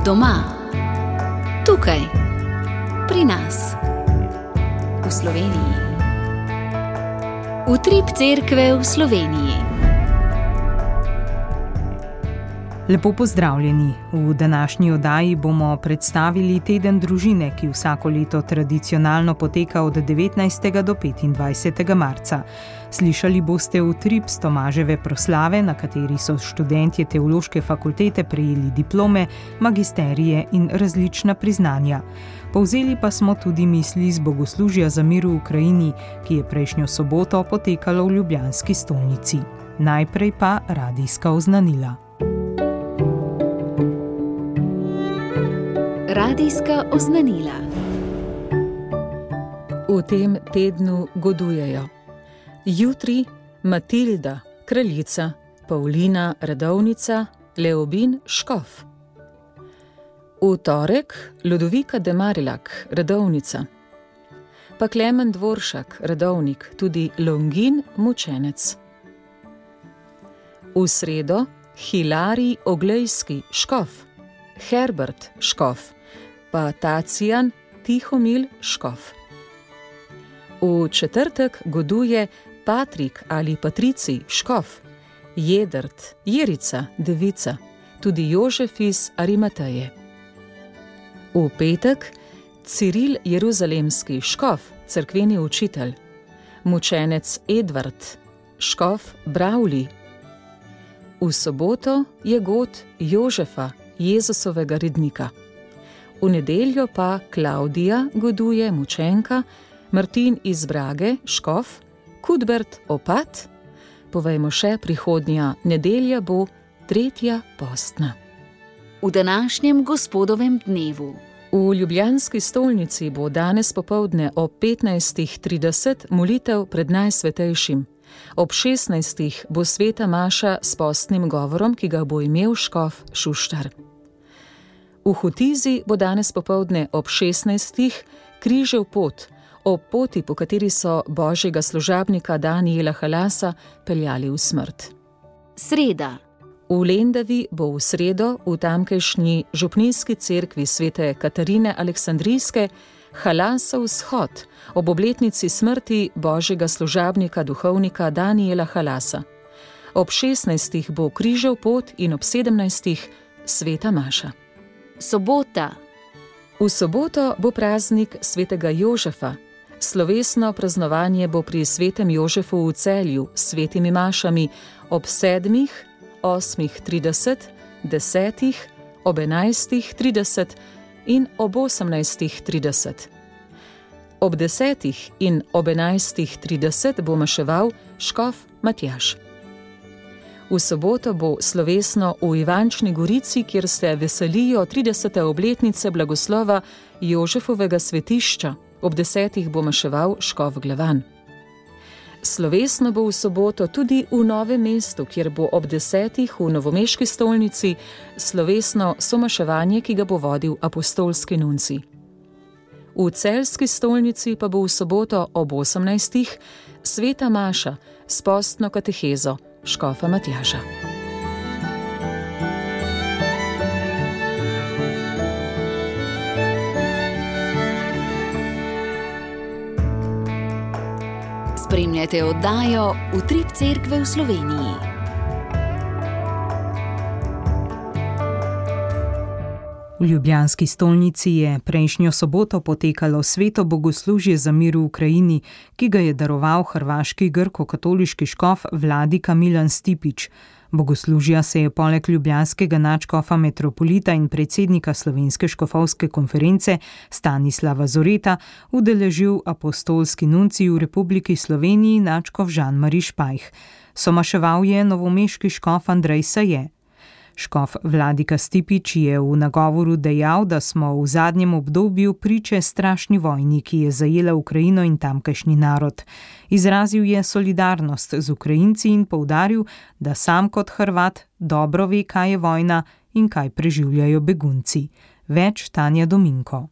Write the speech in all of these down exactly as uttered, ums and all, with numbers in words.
Doma, tukaj, pri nas, v Sloveniji. Utrip cerkve v Sloveniji. Lepo pozdravljeni. V današnji oddaji bomo predstavili teden družine, ki vsako leto tradicionalno poteka od devetnajstega do petindvajsetega marca. Slišali boste utrip s Tomaževe proslave, na kateri so študentje teološke fakultete prejeli diplome, magisterije in različna priznanja. Povzeli pa smo tudi misli z bogoslužja za mir v Ukrajini, ki je prejšnjo soboto potekalo v ljubljanski stolnici. Najprej pa radijska oznanila. Radijska oznanila. V tem tednu godujejo jutri Matilda, kraljica, Pavlina, redovnica, Leobin, škof. V torek Ludovika de Marillac, redovnica, pa Klemen Dvoršak, redovnik, tudi Longin, mučenec. V sredo Hilarij Oglejski, škof, Herbert, škof, pa Tacijan Tihomil, škof. V četrtek goduje Patrik ali Patricij, škof, Jedrt, Jerica, devica, tudi Jožef iz Arimateje. V petek Ciril Jeruzalemski, škof, cerkveni učitelj, mučenec Edvard, škof Bravli. V soboto je god Jožefa, Jezusovega rednika. V nedeljo pa Klavdija goduje, mučenka, Martin iz Brage, škof, Kudbert, opat. Povejmo še, prihodnja nedelja bo tretja postna. V današnjem gospodovem dnevu. V ljubljanski stolnici bo danes popoldne ob petnajstih trideset molitev pred Najsvetejšim. Ob šestnajstih bo sveta maša s postnim govorom, ki ga bo imel škof Šuštar. V Hotizi bo danes popoldne ob šestnajstih križev pot, ob poti, po kateri so božjega služabnika Danijela Halasa peljali v smrt. Sreda. V Lendavi bo v sredo v tamkajšnji župnijski cerkvi svete Katarine Aleksandrijske Halasov shod ob obletnici smrti božjega služabnika duhovnika Danijela Halasa. Ob šestnajstih bo križev pot in ob sedemnajstih sveta maša. Sobota. V soboto bo praznik svetega Jožefa. Slovesno praznovanje bo pri svetem Jožefu v Celju s svetimi mašami ob sedmih, osmih trideset, desetih, ob enajstih trideset in ob osemnajstih trideset. Ob desetih in ob enajstih trideset bo maševal škof Matjaž. V soboto bo slovesno v Ivančni Gorici, kjer se veselijo tridesete obletnice blagoslova Jožefovega svetišča. Ob desetih bo maševal škof Glavan. Slovesno bo v soboto tudi v Novem mestu, kjer bo ob desetih v novomeški stolnici slovesno somaševanje, ki ga bo vodil apostolski nuncij. V celjski stolnici pa bo v soboto ob osemnajstih sveta maša s postno katehezo škofa Matjaža. Spremljate oddajo Utrip cerkve v Sloveniji. V ljubljanski stolnici je prejšnjo soboto potekalo sveto bogoslužje za mir v Ukrajini, ki ga je daroval hrvaški grko-katoliški škof Vladika Milan Stipić. Bogoslužja se je poleg ljubljanskega nadškofa metropolita in predsednika Slovenske škofovske konference Stanislava Zoreta udeležil apostolski nuncij v Republiki Sloveniji nadškof Žan-Mari Špajh. Somaševal je novomeški škof Andrej Saje. Škof Vladika Stipić je v nagovoru dejal, da smo v zadnjem obdobju priče strašni vojni, ki je zajela Ukrajino in tamkajšnji narod. Izrazil je solidarnost z Ukrajinci in poudaril, da sam kot Hrvat dobro ve, kaj je vojna in kaj preživljajo begunci. Več Tanja Dominko.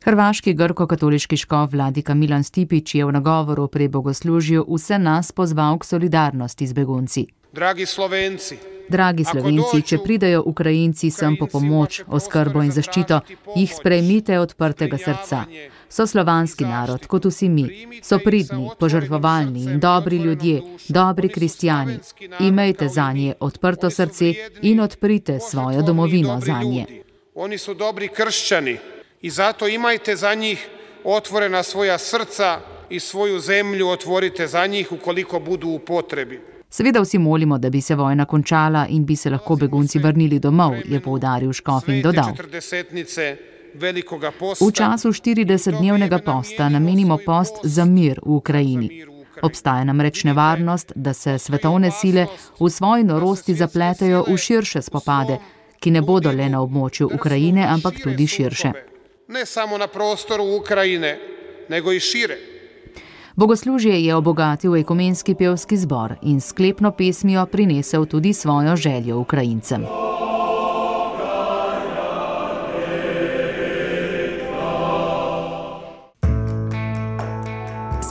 Hrvaški grko-katoliški škof Vladika Milan Stipić je v nagovoru pri bogoslužju vse nas pozval k solidarnosti z begunci. Dragi Slovenci, Dragi Slovenci, če pridejo Ukrajinci sem po pomoč, oskrbo in zaščito, jih sprejmite odprtega srca. So slovanski narod, kot vsi mi. So pridni, požrtvovalni in dobri ljudje, dobri kristjani. Imejte zanje odprto srce in odprite svojo domovino zanje. Oni su dobri kršćani i zato imajte za njih otvorena svoja srca i svoju zemlju otvorite za njih ukoliko budu u potrebi. Seveda vsi molimo, da bi se vojna končala in bi se lahko begunci vrnili domov, je poudaril škof in dodal. V času štiridesetdnevnega posta namenimo post za mir v Ukrajini. Obstaja namreč nevarnost, da se svetovne sile v svoji norosti zapletejo v širše spopade, ki ne bodo le na območju Ukrajine, ampak tudi širše. Ne samo na prostoru Ukrajine, nego i šire. Bogoslužje je obogatil ekumenski pevski zbor in sklepno pesmijo prinesel tudi svojo željo Ukrajincem.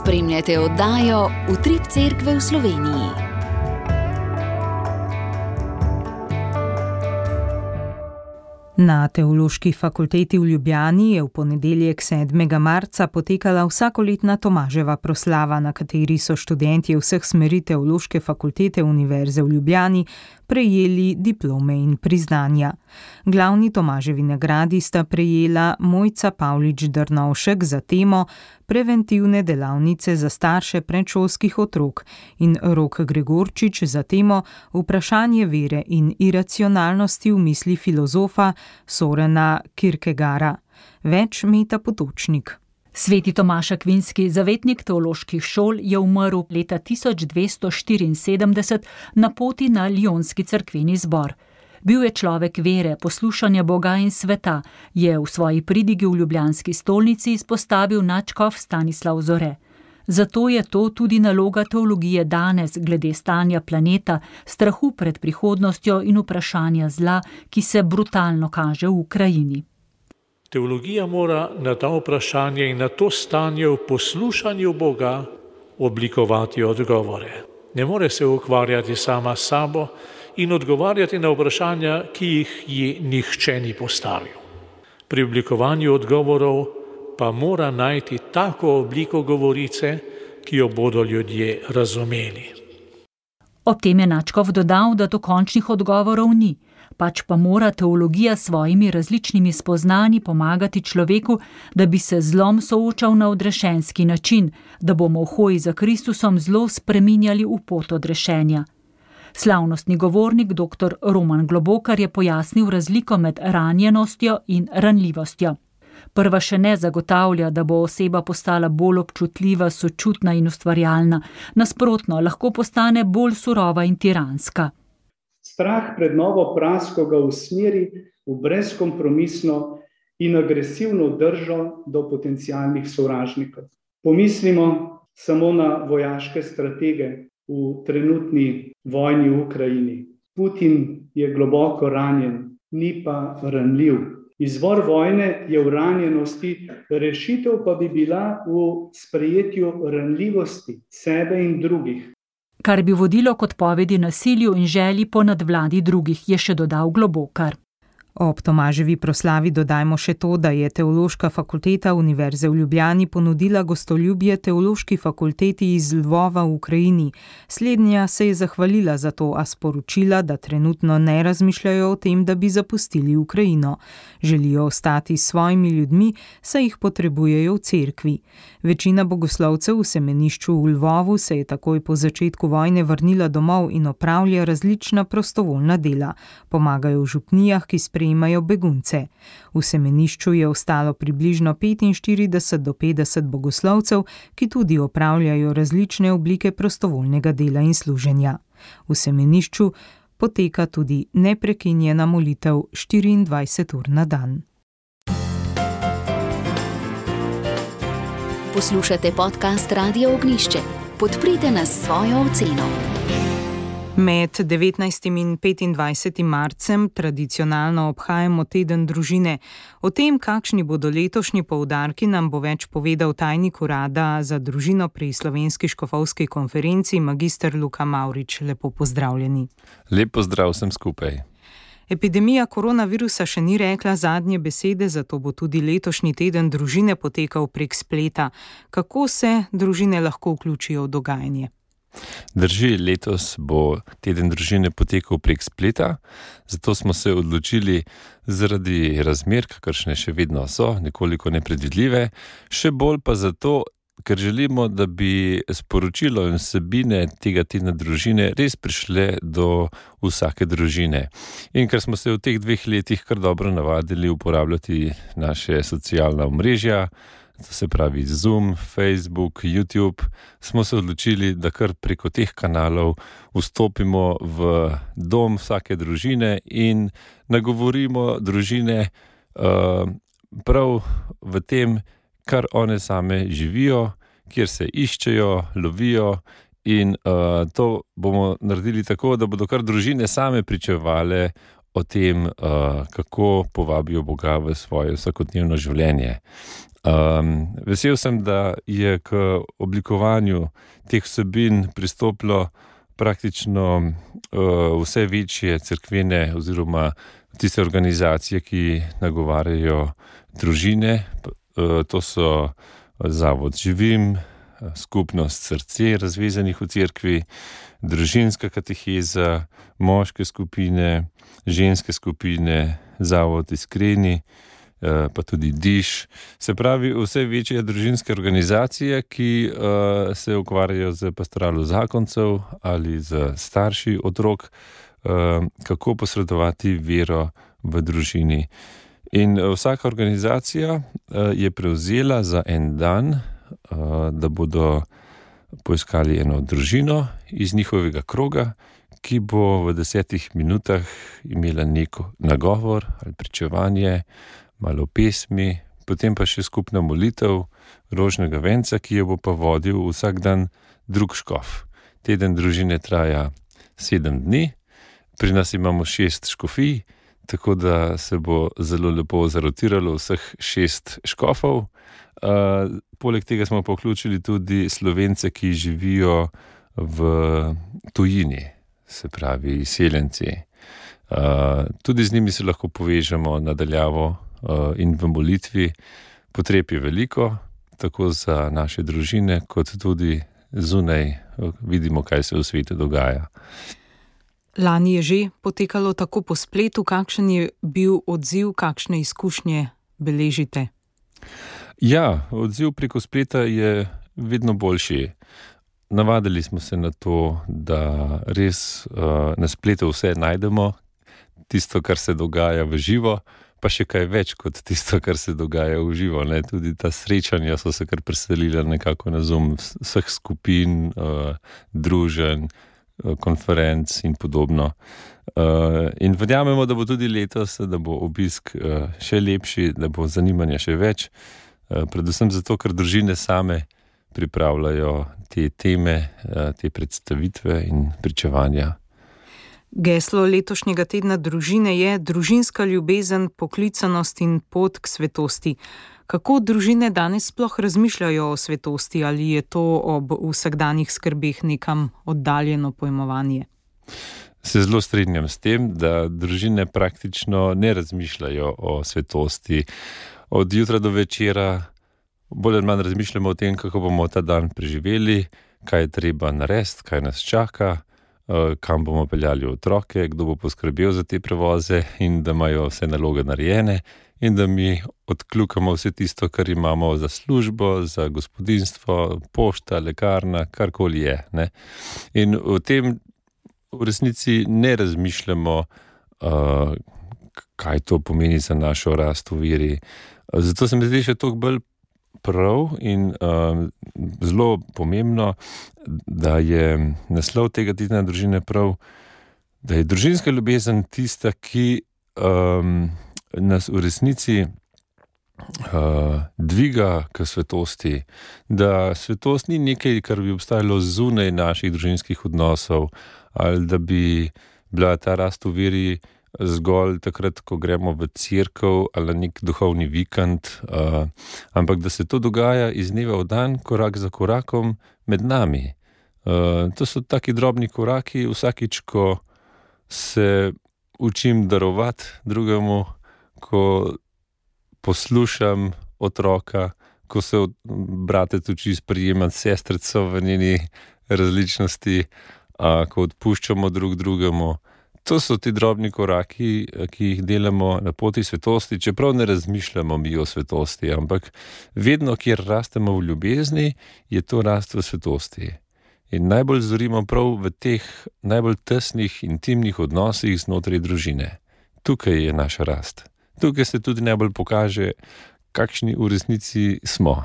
Spremljate oddajo Utrip Cerkve v Sloveniji. Na Teološki fakulteti v Ljubljani je v ponedeljek sedmega marca potekala vsakoletna Tomaževa proslava, na kateri so študentje vseh smeri Teološke fakultete Univerze v Ljubljani prejeli diplome in priznanja. Glavni Tomaževi nagradi sta prejela Mojca Pavlič Drnovšek za temo Preventivne delavnice za starše predšolskih otrok in Rok Gregorčič za temo Vprašanje vere in iracionalnosti v misli filozofa Sorena Kierkegaarda. Več Meta Potočnik. Sveti Tomaž Akvinski, zavetnik teoloških šol, je umrl leta tisoč dvesto štiriinsedemdeset na poti na Lionski cerkveni zbor. Bil je človek vere, poslušanja Boga in sveta, je v svoji pridigi v ljubljanski stolnici izpostavil nadškof Stanislav Zore. Zato je to tudi naloga teologije danes glede stanja planeta, strahu pred prihodnostjo in vprašanja zla, ki se brutalno kaže v Ukrajini. Teologija mora na ta vprašanje in na to stanje v poslušanju Boga oblikovati odgovore. Ne more se ukvarjati sama s sabo in odgovarjati na vprašanja, ki jih ji nihče ni postavil. Pri oblikovanju odgovorov pa mora najti tako obliko govorice, ki jo bodo ljudje razumeli. Ob tem je nadškof dodal, da dokončnih odgovorov ni, pač pa mora teologija s svojimi različnimi spoznanji pomagati človeku, da bi se zlom soočal na odrešenski način, da bomo v hoji za Kristusom zlo spreminjali v pot odrešenja. Slavnostni govornik dr. Roman Globokar je pojasnil razliko med ranjenostjo in ranljivostjo. Prva še ne zagotavlja, da bo oseba postala bolj občutljiva, sočutna in ustvarjalna. Nasprotno, lahko postane bolj surova in tiranska. Strah pred novo prasko ga usmeri v brezkompromisno in agresivno držo do potencialnih sovražnikov. Pomislimo samo na vojaške stratege v trenutni vojni v Ukrajini. Putin je globoko ranjen, ni pa ranljiv. Izvor vojne je v ranjenosti, rešitev pa bi bila v sprejetju ranljivosti sebe in drugih. Kar bi vodilo k odpovedi nasilju in želji po nadvladi drugih, je še dodal Globokar. Ob Tomaževi proslavi dodajmo še to, da je Teološka fakulteta Univerze v Ljubljani ponudila gostoljubje Teološki fakulteti iz Lvova v Ukrajini. Slednja se je zahvalila za to, a sporočila, da trenutno ne razmišljajo o tem, da bi zapustili Ukrajino. Želijo ostati s svojimi ljudmi, saj jih potrebujejo v cerkvi. Večina bogoslovcev v semenišču v Lvovu se je takoj po začetku vojne vrnila domov in opravlja različna prostovoljna dela. Pomagajo v župnijah, ki sprejemajo begunce. V semenišču je ostalo približno petinštirideset do petdeset bogoslovcev, ki tudi opravljajo različne oblike prostovoljnega dela in služenja. V semenišču poteka tudi neprekinjena molitev štiriindvajset ur na dan. Poslušate podcast Radio Ognjišče. Podprite nas s svojo oceno. Med devetnajstim in petindvajsetim marcem tradicionalno obhajamo teden družine. O tem, kakšni bodo letošnji poudarki, nam bo več povedal tajnik urada za družino pri Slovenski škofovski konferenci, magister Luka Mavrič. Lepo pozdravljeni. Lep pozdrav vsem skupaj. Epidemija koronavirusa še ni rekla zadnje besede, zato bo tudi letošnji teden družine potekal prek spleta. Kako se družine lahko vključijo v dogajanje? Drži, letos bo teden družine potekal prek spleta, zato smo se odločili zaradi razmer, kakršne še vedno so, nekoliko nepredvidljive, še bolj pa zato, ker želimo, da bi sporočilo in vsebine tega tedna družine res prišle do vsake družine. In ker smo se v teh dveh letih kar dobro navadili uporabljati naše socialna omrežja, to se pravi Zoom, Facebook, YouTube, smo se odločili, da kar preko teh kanalov vstopimo v dom vsake družine in nagovorimo družine uh, prav v tem, kar one same živijo, kjer se iščejo, lovijo in uh, to bomo naredili tako, da bodo kar družine same pričevale o tem, uh, kako povabijo Boga v svoje vsakodnevno življenje. Um, vesel sem, da je k oblikovanju teh vsebin pristopilo praktično uh, vse večje cerkvene oziroma tiste organizacije, ki nagovarjajo družine. Uh, to so Zavod Živim, Skupnost Srce razvezanih v cerkvi, Družinska kateheza, moške skupine, ženske skupine, Zavod Iskreni, pa tudi Diš, se pravi vse večje družinske organizacije, ki uh, se ukvarjajo z pastoralo zakoncev ali z starši otrok, uh, kako posredovati vero v družini. In vsaka organizacija uh, je prevzela za en dan, uh, da bodo poiskali eno družino iz njihovega kroga, ki bo v desetih minutah imela neko nagovor ali pričevanje, malo pesmi, potem pa še skupna molitev rožnega venca, ki jo bo pa vodil vsak dan drug škof. Teden družine traja sedem dni, pri nas imamo šest škofij, tako da se bo zelo lepo zarotiralo vseh šest škofov. Uh, poleg tega smo pa vključili tudi Slovence, ki živijo v tujini, se pravi izseljenci. Uh, tudi z njimi se lahko povežemo nadaljavo in v molitvi. Potreb je veliko, tako za naše družine, kot tudi zunaj vidimo, kaj se v svetu dogaja. Lani je že potekalo tako po spletu. Kakšen je bil odziv, kakšne izkušnje beležite? Ja, odziv preko spleta je vedno boljši. Navadili smo se na to, da res uh, na spletu vse najdemo, tisto, kar se dogaja v živo, pa še kaj več kot tisto, kar se dogaja v živo. Ne? Tudi ta srečanja so se kar preselila nekako na Zoom vseh skupin, uh, druženj, uh, konferenc in podobno. Uh, in verjamemo, da bo tudi letos, da bo obisk uh, še lepši, da bo zanimanja še več, uh, predvsem zato, ker družine same pripravljajo te teme, uh, te predstavitve in pričevanja. Geslo letošnjega tedna družine je družinska ljubezen, poklicanost in pot k svetosti. Kako družine danes sploh razmišljajo o svetosti, ali je to ob vsakdanjih skrbeh nekam oddaljeno pojmovanje? Se zelo strinjam s tem, da družine praktično ne razmišljajo o svetosti. Od jutra do večera bolj ali manj razmišljamo o tem, kako bomo ta dan preživeli, kaj je treba narediti, kaj nas čaka, kam bomo peljali otroke, kdo bo poskrbel za te prevoze in da imajo vse naloge narejene in da mi odkljukamo vse tisto, kar imamo za službo, za gospodinjstvo, pošta, lekarna, karkoli je. Ne? In v tem v resnici ne razmišljamo, uh, kaj to pomeni za našo rast v veri. Zato se mi zdi še toliko bolj prav in uh, zelo pomembno, da je naslov tega tedna družine prav, da je družinska ljubezen tista, ki um, nas v resnici uh, dviga k svetosti, da svetost ni nekaj, kar bi obstajalo zunaj naših družinskih odnosov, ali da bi bila ta rast v veri zgolj takrat, ko gremo v cerkev ali nek duhovni vikend, uh, ampak da se to dogaja iz dneva v dan, korak za korakom med nami. Uh, to so taki drobni koraki, vsakič, ko se učim darovati drugemu, ko poslušam otroka, ko se bratec uči sprejemati sestrico v njeni različnosti, a, ko odpuščamo drug drugemu. To so ti drobni koraki, ki jih delamo na poti svetosti, čeprav ne razmišljamo mi o svetosti, ampak vedno, kjer rastemo v ljubezni, je to rast v svetosti. In najbolj zorimo prav v teh najbolj tesnih, intimnih odnosih znotraj družine. Tukaj je naša rast. Tukaj se tudi najbolj pokaže, kakšni v resnici smo.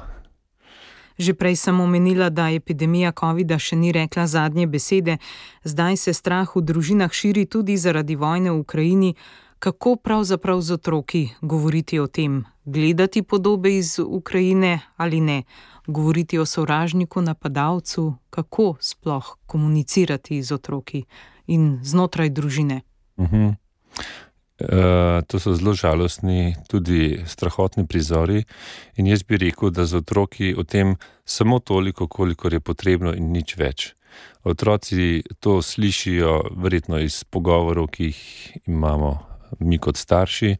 Že prej sem omenila, da epidemija covida še ni rekla zadnje besede. Zdaj se strah v družinah širi tudi zaradi vojne v Ukrajini. Kako pravzaprav z otroki govoriti o tem? Gledati podobe iz Ukrajine ali ne? Govoriti o sovražniku, napadalcu? Kako sploh komunicirati z otroki in znotraj družine? Uh-huh. Uh, to so zelo žalostni, tudi strahotni prizori in jaz bi rekel, da z otroki o tem samo toliko, kolikor je potrebno in nič več. Otroci to slišijo verjetno iz pogovorov, ki jih imamo mi kot starši,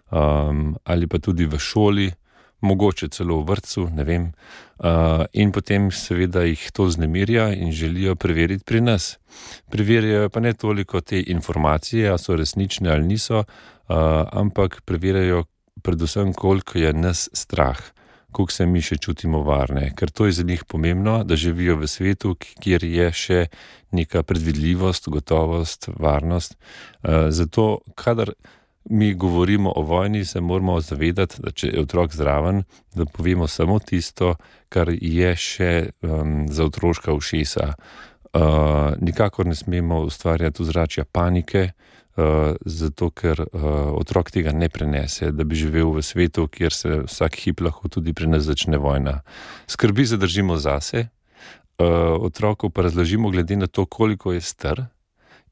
um, ali pa tudi v šoli, mogoče celo v vrtcu, ne vem, uh, in potem seveda jih to vznemirja in želijo preveriti pri nas. Preverjajo pa ne toliko te informacije, a so resnične ali niso, uh, ampak preverjajo predvsem, koliko je nas strah, koliko se mi še čutimo varne, ker to je za njih pomembno, da živijo v svetu, kjer je še neka predvidljivost, gotovost, varnost. Uh, zato, kadar mi govorimo o vojni, se moramo zavedati, da če je otrok zraven, da povemo samo tisto, kar je še um, za otroška ušesa. Uh, nikakor ne smemo ustvarjati ozračja panike, uh, zato ker uh, otrok tega ne prenese, da bi živel v svetu, kjer se vsak hip lahko tudi pri nas začne vojna. Skrbi zadržimo zase, uh, otroku pa razložimo glede na to, koliko je star,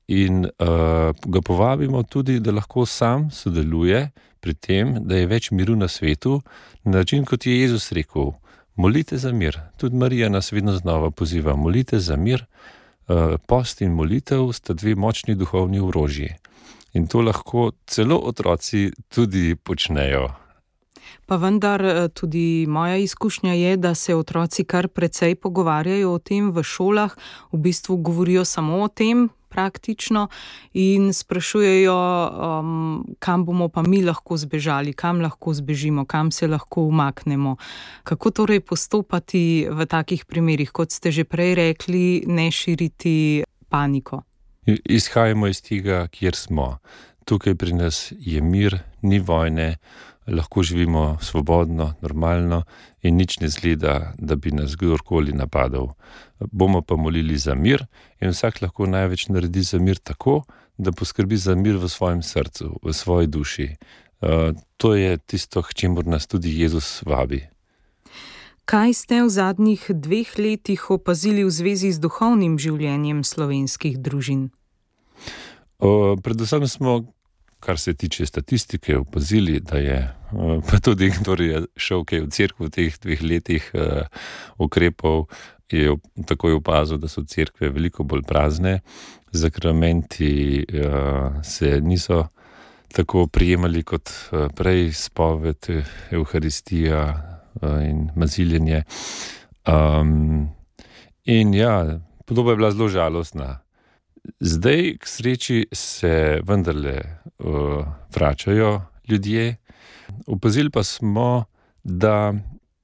in uh, ga povabimo tudi, da lahko sam sodeluje pri tem, da je več miru na svetu, na način, kot je Jezus rekel, molite za mir. Tudi Marija nas vedno znova poziva, molite za mir. Uh, post in molitev sta dve močni duhovni orožji. In to lahko celo otroci tudi počnejo. Pa vendar tudi moja izkušnja je, da se otroci kar precej pogovarjajo o tem v šolah, v bistvu govorijo samo o tem, praktično, in sprašujejo, um, kam bomo pa mi lahko zbežali, kam lahko zbežimo, kam se lahko umaknemo. Kako torej postopati v takih primerih, kot ste že prej rekli, ne širiti paniko? Izhajamo iz tega, kjer smo. Tukaj pri nas je mir, ni vojne, lahko živimo svobodno, normalno in nič ne zgleda, da bi nas kdorkoli napadal. Bomo pa molili za mir in vsak lahko največ naredi za mir tako, da poskrbi za mir v svojem srcu, v svoji duši. Uh, to je tisto, k čemur nas tudi Jezus vabi. Kaj ste v zadnjih dveh letih opazili v zvezi z duhovnim življenjem slovenskih družin? Uh, predvsem smo, kar se tiče statistike, opazili, da je, pa tudi kdo je šel kaj v cerkev v teh dveh letih uh, ukrepov, je takoj opazil, da so cerkve veliko bolj prazne, zakramenti uh, se niso tako prijemali kot uh, prej, spoved, evharistija uh, in maziljenje. Um, in ja, podoba je bila zelo žalostna. Zdaj, k sreči, se vendarle uh, vračajo ljudje. Opazili pa smo, da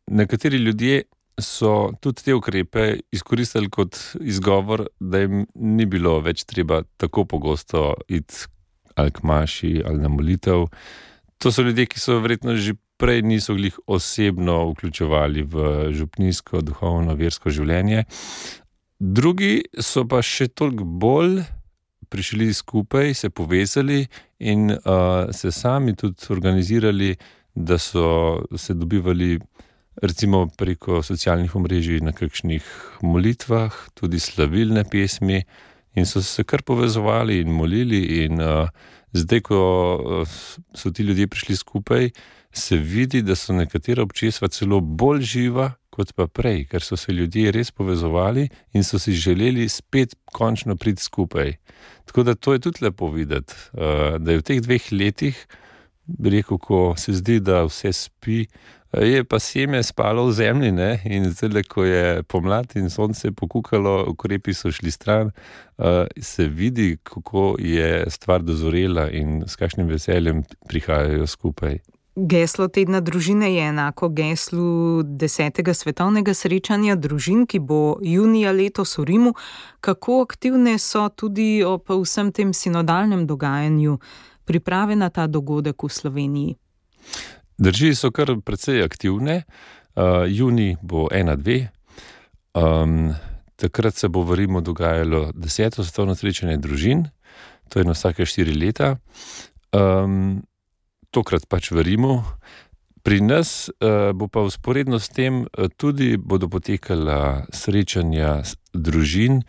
nekateri ljudje so tudi te ukrepe izkoristili kot izgovor, da jim ni bilo več treba tako pogosto iti ali k maši ali na molitev. To so ljudje, ki so verjetno že prej niso glih osebno vključevali v župnijsko, duhovno, versko življenje. Drugi so pa še toliko bolj prišli skupaj, se povezali in uh, se sami tudi organizirali, da so se dobivali recimo preko socialnih omrežij na kakšnih molitvah, tudi slavilne pesmi in so se kar povezovali in molili in uh, zdaj, ko so ti ljudje prišli skupaj, se vidi, da so nekatera občestva celo bolj živa kot pa prej, ker so se ljudje res povezovali in so si želeli spet končno priti skupaj. Tako da to je tudi lepo videti, da je v teh dveh letih, bi rekel, ko se zdi, da vse spi, je pa seme spalo v zemlji, ne? In zdaj, ko je pomlad in sonce pokukalo, ukrepi so šli stran, se vidi, kako je stvar dozorela in s kakšnim veseljem prihajajo skupaj. Geslo tedna družine je enako geslu desetega svetovnega srečanja družin, ki bo junija letos v Rimu. Kako aktivne so tudi ob vsem tem sinodalnem dogajanju priprave na ta dogodek v Sloveniji? Drži, so kar precej aktivne. Uh, juni bo ena, dve. Um, takrat se bo v Rimu dogajalo deseto svetovno srečanje družin. To je na vsake štiri leta. Um, tokrat pač v Rimu. Pri nas uh, bo pa vzporedno s tem uh, tudi bodo potekala srečanja družin.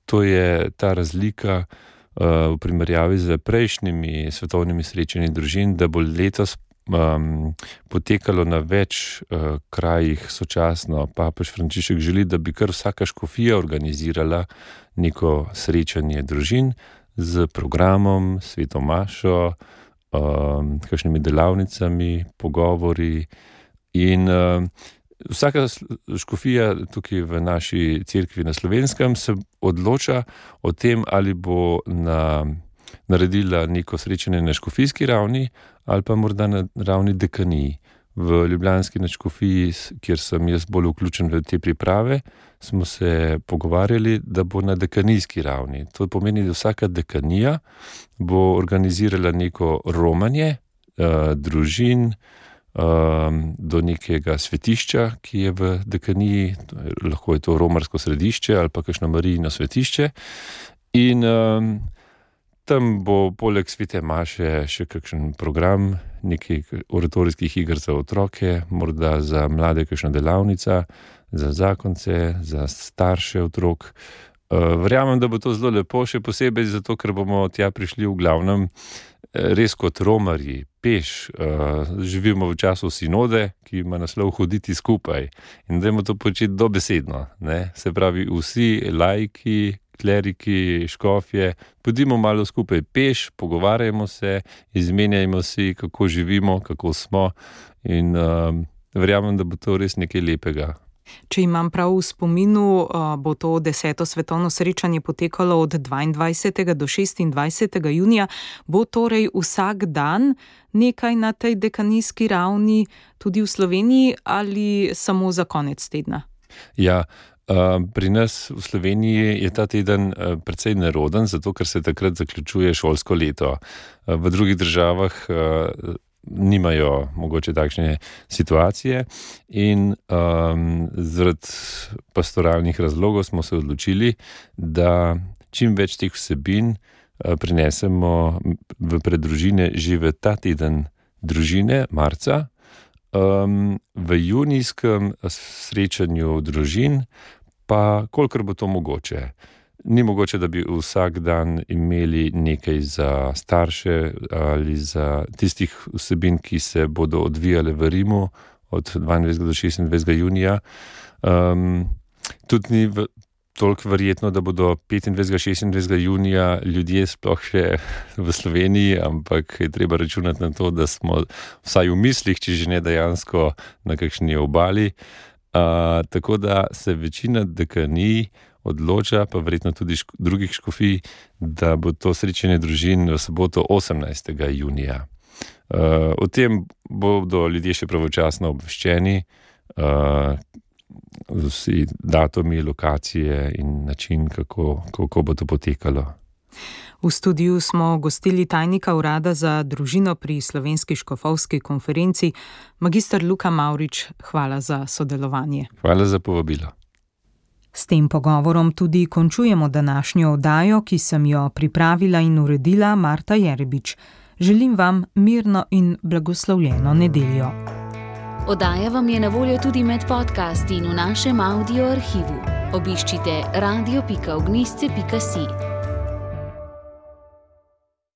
To je ta razlika uh, v primerjavi z prejšnjimi svetovnimi srečanji družin, da bo letos um, potekalo na več uh, krajih sočasno. Papež Frančišek želi, da bi kar vsaka škofija organizirala neko srečanje družin z programom, sveto mašo, Um, kakšnimi delavnicami, pogovori in um, vsaka škofija tukaj v naši cerkvi na Slovenskem se odloča o tem, ali bo na, naredila neko srečanje na škofijski ravni ali pa morda na ravni dekaniji. V ljubljanski nadškofiji, kjer sem jaz bolj vključen v te priprave, smo se pogovarjali, da bo na dekanijski ravni. To pomeni, da vsaka dekanija bo organizirala neko romanje uh, družin um, do nekega svetišča, ki je v dekaniji, lahko je to romarsko središče ali pa kakšno Marijino svetišče. In um, tam bo poleg svete maše še kakšen program, nekaj oratorijskih iger za otroke, morda za mlade kakšna delavnica, za zakonce, za starše otrok. Verjamem, da bo to zelo lepo, še posebej zato, ker bomo tja prišli v glavnem res kot romarji, peš. Živimo v času sinode, ki ima naslov hoditi skupaj. In dajmo to početi dobesedno, ne? Se pravi, vsi laiki, kleriki, škofje, pojdimo malo skupaj peš, pogovarjamo se, izmenjajmo si, kako živimo, kako smo in um, verjamem, da bo to res nekaj lepega. Če imam prav v spominu, bo to deseto svetovno srečanje potekalo od dvaindvajsetega do šestindvajsetega junija. Bo torej vsak dan nekaj na tej dekanijski ravni tudi v Sloveniji ali samo za konec tedna? Ja, pri nas v Sloveniji je ta teden precej neroden, zato ker se takrat zaključuje šolsko leto. V drugih državah nimajo mogoče takšne situacije in um, zaradi pastoralnih razlogov smo se odločili, da čim več teh vsebin uh, prinesemo v preddružine že v ta teden družine, marca. Um, v junijskem srečanju družin pa kolikor bo to mogoče. Ni mogoče, da bi vsak dan imeli nekaj za starše ali za tistih vsebin, ki se bodo odvijale v Rimu od dvaindvajsetega do šestindvajsetega junija. Um, tudi ni v, toliko verjetno, da bodo petindvajsetega, šestindvajsetega junija ljudje sploh še v Sloveniji, ampak je treba računati na to, da smo vsaj v mislih, če že ne dejansko na kakšni obali. Uh, tako da se večina dekanij odloča, pa verjetno tudi ško, drugih škofij, da bo to srečanje družin v soboto osemnajstega junija. Uh, o tem bodo ljudje še pravočasno obveščeni, uh, vsi datumi, lokacije in način, kako, kako bo to potekalo. V studiu smo gostili tajnika urada za družino pri Slovenski škofovski konferenci, magister Luka Mavrič. Hvala za sodelovanje. Hvala za povabilo. S tem pogovorom tudi končujemo današnjo oddajo, ki sem jo pripravila in uredila Marta Jerebič. Želim vam mirno in blagoslovljeno nedeljo. Oddaja vam je na voljo tudi med podcasti in v našem audio arhivu. Obiščite radio pika ognjišče pika si.